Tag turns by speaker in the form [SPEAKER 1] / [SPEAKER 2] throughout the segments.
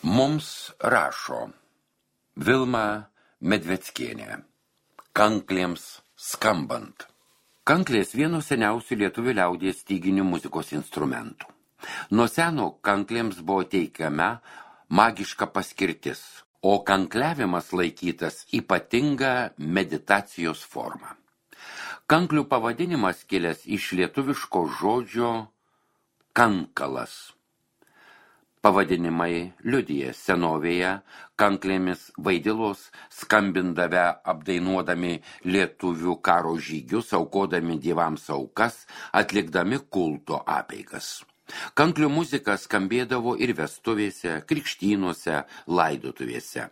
[SPEAKER 1] Mums rašo Vilma Medveckienė. Kanklėms skambant. Kanklės vieno seniausių lietuvių liaudies styginių muzikos instrumentų. Nuo seno kanklėms buvo teikiama magiška paskirtis, o kankliavimas laikytas ypatinga meditacijos forma. Kanklių pavadinimas kilęs iš lietuviško žodžio kankalas. Pavadinimai liudija senovėje kanklėmis vaidilos skambindavę apdainuodami lietuvių karo žygius, aukodami dievams aukas, atlikdami kulto apeigas. Kanklių muzika skambėdavo ir vestuvėse, krikštynuose, laidotuvėse.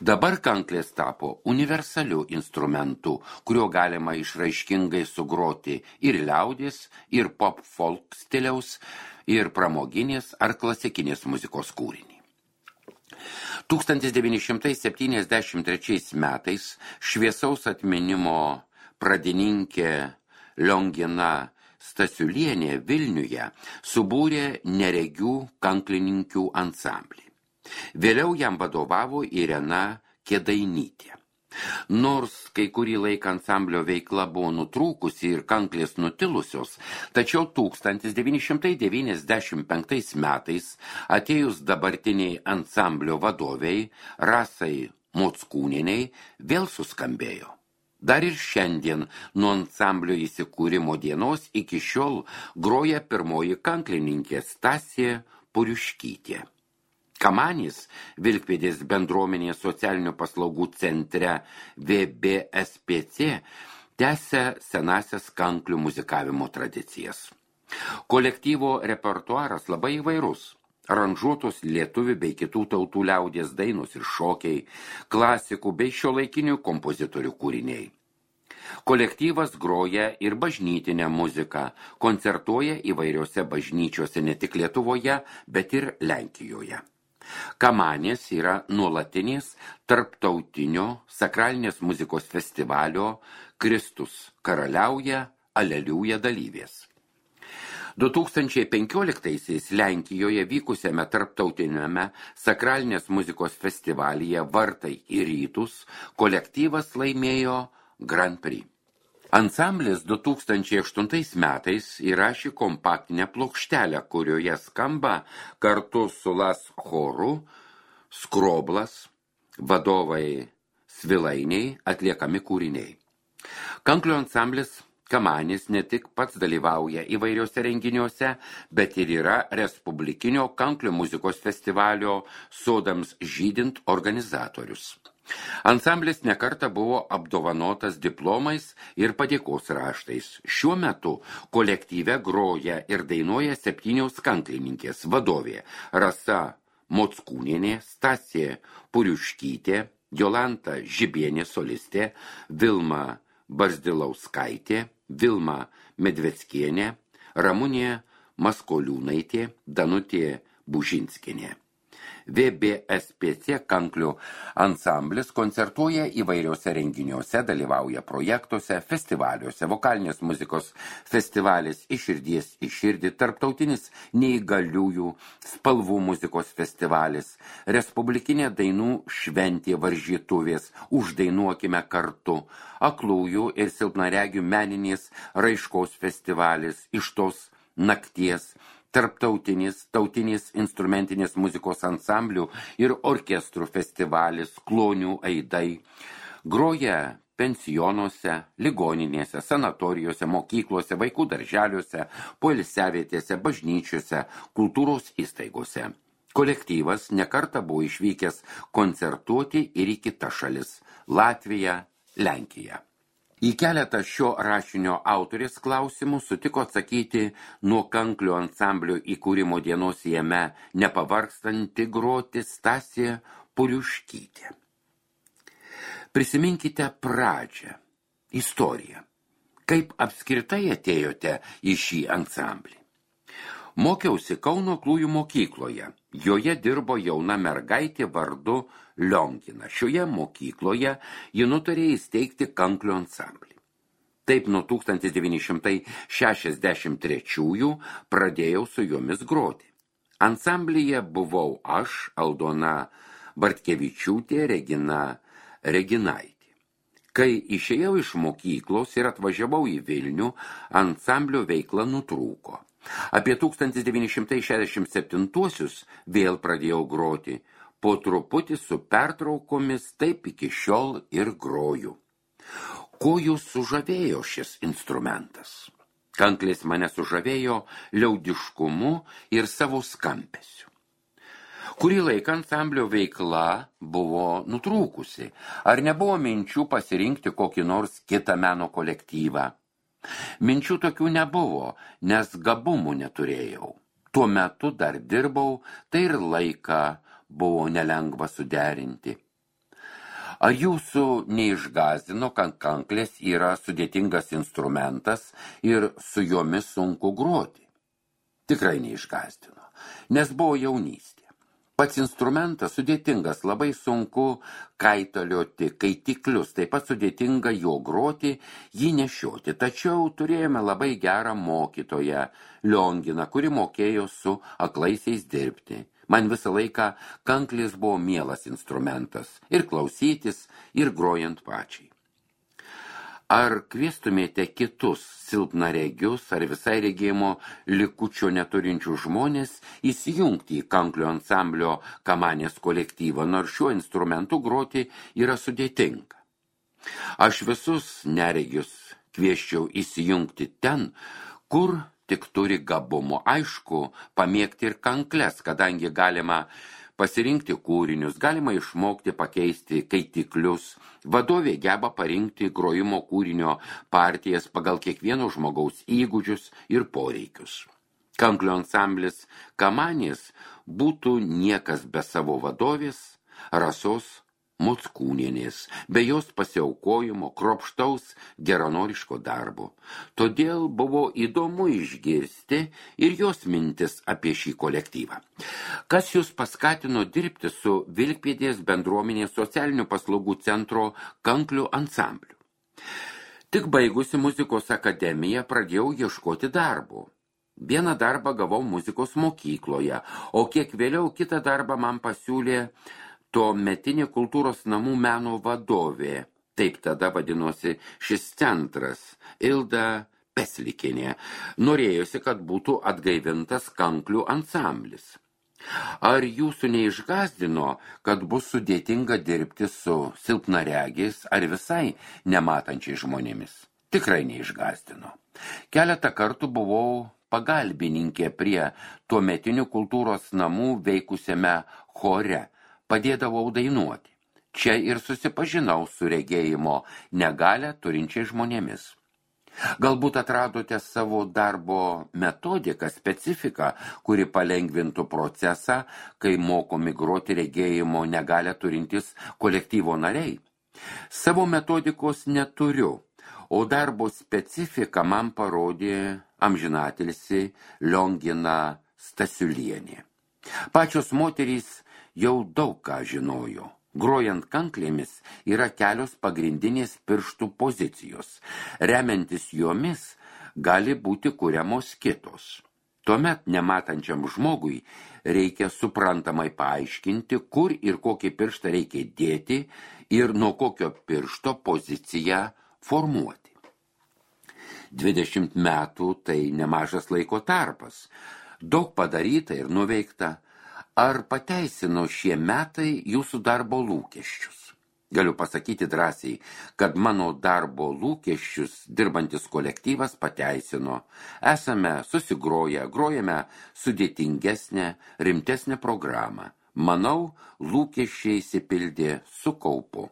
[SPEAKER 1] Dabar kanklės tapo universaliu instrumentu, kuriuo galima išraiškingai sugroti ir liaudės, ir pop-folk stiliaus, ir pramoginės ar klasikinės muzikos kūrinį. 1973 metais šviesaus atminimo pradininkė Liongina Stasiulienė Vilniuje subūrė neregių kanklininkių ansamblį. Vėliau jam vadovavo Irena Kėdainytė. Nors kai kurį laiką ansamblio veikla buvo nutrūkusi ir kanklės nutilusios, tačiau 1995 metais atėjus dabartiniai ansamblio vadoviai Rasai Mockūnieniai vėl suskambėjo. Dar ir šiandien nuo ansamblio įsikūrimo dienos iki šiol groja pirmoji kanklininkė Stasė Puriuškytė. Kamanis, Vilkpėdės bendruomenės socialinių paslaugų centre VBSPC, tęsia senasias kanklių muzikavimo tradicijas. Kolektyvo repertuaras labai įvairus. Aranžuotos lietuvių bei kitų tautų liaudies dainos ir šokiai, klasikų bei šiuolaikinių kompozitorių kūriniai. Kolektyvas groja ir bažnytinę muziką, koncertuoja įvairiose bažnyčiose ne tik Lietuvoje, bet ir Lenkijoje. Kamanės yra nuolatinis tarptautinio sakralinės muzikos festivalio Kristus karaliauja, aleliuja dalyvės. 2015-aisiais Lenkijoje vykusiame tarptautiniame sakralinės muzikos festivalyje Vartai į rytus kolektyvas laimėjo Grand Prix. Ansamblis 2008 metais įrašė kompaktinę plokštelę, kurioje skamba kartu su Las choru, Skroblas, vadovai Svilainiai atliekami kūriniai. Kanklių ansamblis Kamanis ne tik pats dalyvauja įvairiuose renginiuose, bet ir yra Respublikinio kanklių muzikos festivalio Sodams žydint organizatorius. Ansamblis nekartą buvo apdovanotas diplomais ir padėkos raštais. Šiuo metu kolektyve groja ir dainuoja 7 kanklininkės vadovė Rasa Mockūnienė, Stasė Puriuškytė, Jolanta Žibienė solistė, Vilma Barzdilauskaitė, Vilma Medveckienė, Ramunė Maskoliūnaitė, Danutė Bužinskienė. VBSPC kanklių ansamblis koncertuoja įvairiuose renginiuose, dalyvauja projektuose, festivaliuose, vokalinės muzikos festivalis Iš širdies į širdį, tarptautinis neįgaliųjų spalvų muzikos festivalis, Respublikinė dainų šventė varžytuvės Uždainuokime kartu, aklųjų ir silpnaregių meninės raiškos festivalis Iš tos nakties, tarptautinis, tautinės instrumentinės muzikos ansamblių ir orkestrų festivalis Klonių aidai, groja pensionuose, ligoninėse, sanatorijose, mokyklose, vaikų darželiuose, poilsiavietėse, bažnyčiose, kultūros įstaigose. Kolektyvas nekartą buvo išvykęs koncertuoti ir į kitas šalis – Latviją, Lenkiją. Į keletą šio rašinio autorės klausimų sutiko atsakyti nuo kanklių ansamblio įkūrimo dienos jame nepavargstanti groti Stasė Puriuškytė. Prisiminkite pradžią, istoriją, kaip apskritai atėjote į šį ansamblį. Mokiausi Kauno aklųjų mokykloje. Joje dirbo jauna mergaitė vardu Liongina. Šioje mokykloje ji nutarė įsteigti kanklių ansamblį. Taip nuo 1963 pradėjau su jomis groti. Ansamblyje buvau aš, Aldona Bartkevičiūtė, Regina Reginaitė. Kai išėjau iš mokyklos ir atvažiavau į Vilnių, ansamblio veikla nutrūko. Apie 1967-uosius vėl pradėjau groti, po truputį su pertraukomis, taip iki šiol ir groju. Ko jūs sužavėjo šis instrumentas? Kanklės mane sužavėjo liaudiškumu ir savo skambesiu. Kurį laiką ansamblio veikla buvo nutrūkusi. Ar nebuvo minčių pasirinkti kokį nors kitą meno kolektyvą? Minčių tokių nebuvo, nes gabumų neturėjau. Tuo metu dar dirbau, tai ir laiką buvo nelengva suderinti. Ar jūsų neišgąsdino, kad kanklės yra sudėtingas instrumentas ir su jomis sunku groti? Tikrai neišgąsdino, nes buvo jaunystė. Pats instrumentas sudėtingas, labai sunku kaitalioti kaitiklius, taip pat sudėtinga jo groti, jį nešioti. Tačiau turėjome labai gerą mokytoją, Lionginą, kuri mokėjo su aklaisiais dirbti. Man visą laiką kanklės buvo mielas instrumentas, ir klausytis, ir grojant pačiai. Ar kviestumėte kitus silpnaregius ar visai regėjimo likučio neturinčių žmonės įsijungti į kanklio ansamblio Kamanės kolektyvą, nors šiuo instrumentu groti yra sudėtinga? Aš visus neregius kviesčiau įsijungti ten, kur tik turi gabumo. Aišku, pamėgti ir kankles, kadangi galima pasirinkti kūrinius, galima išmokti pakeisti kaitiklius. Vadovė geba parinkti grojimo kūrinio partijas pagal kiekvieno žmogaus įgūdžius ir poreikius. Kanklio ansamblis Kamanės būtų niekas be savo vadovės Rasos Mockūnienės, be jos pasiaukojimo, kruopštaus geranoriško darbo. Todėl buvo įdomu išgirsti ir jos mintis apie šį kolektyvą. Kas jūs paskatino dirbti su Vilkpėdės bendruomenės socialinių paslaugų centro kanklių ansambliu? Tik baigusi muzikos akademiją pradėjau ieškoti darbo. Vieną darbą gavau muzikos mokykloje, o kiek vėliau kitą darbą man pasiūlė tuometinė kultūros namų meno vadovė, taip tada vadinosi šis centras, Ilda Peslikienė. Norėjosi, kad būtų atgaivintas kanklių ansamblis. Ar jūsų neišgąsdino, kad bus sudėtinga dirbti su silpnaregiais ar visai nematančiais žmonėmis? Tikrai neišgąsdino. Keletą kartų buvau pagalbininkė prie tuometinių kultūros namų veikusiame chore. Padėdavau dainuoti. Čia ir susipažinau su regėjimo negalią turinčiais žmonėmis. Galbūt atradote savo darbo metodiką, specifiką, kuri palengvintų procesą, kai mokomi groti regėjimo negalią turintys kolektyvo nariai. Savo metodikos neturiu, o darbo specifiką man parodė amžinatilsį Liongina Stasiulienė. Pačios moterys jau daug ką žinojo. Grojant kanklėmis yra kelios pagrindinės pirštų pozicijos. Remiantis jomis gali būti kuriamos kitos. Tuomet nematančiam žmogui reikia suprantamai paaiškinti, kur ir kokį pirštą reikia dėti ir nuo kokio piršto poziciją formuoti. 20 metų tai nemažas laiko tarpas. Daug padaryta ir nuveikta. Ar pateisino šie metai jūsų darbo lūkesčius? Galiu pasakyti drąsiai, kad mano darbo lūkesčius dirbantis kolektyvas pateisino. Esame susigroję, grojame sudėtingesnę, rimtesnę programą. Manau, lūkesčiai išsipildė su kaupu.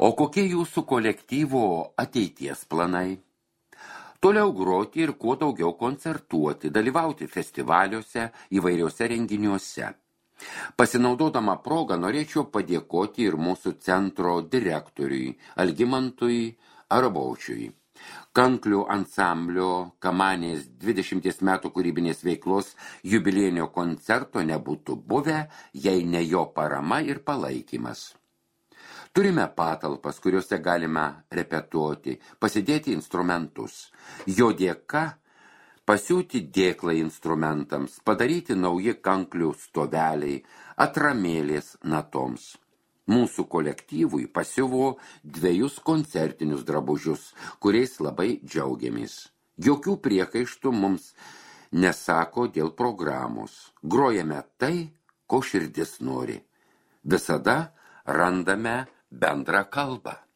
[SPEAKER 1] O kokie jūsų kolektyvo ateities planai? Toliau groti ir kuo daugiau koncertuoti, dalyvauti festivaliuose, įvairiuose renginiuose. Pasinaudodama progą norėčiau padėkoti ir mūsų centro direktoriui Algimantui Arabaučiui. Kanklių ansamblio Kamanės 20 metų kūrybinės veiklos jubiliejinio koncerto nebūtų buvę, jei ne jo parama ir palaikymas. Turime patalpas, kuriuose galime repetuoti, pasidėti instrumentus. Jo dėka pasiūti dėklai instrumentams, padaryti nauji kanklių stoveliai, atramėlės natoms. Mūsų kolektyvui pasiuvo 2 koncertinius drabužius, kuriais labai džiaugiamės. Jokių priekaištų mums nesako dėl programos. Grojame tai, ko širdis nori. Visada randame bendrą kalbą.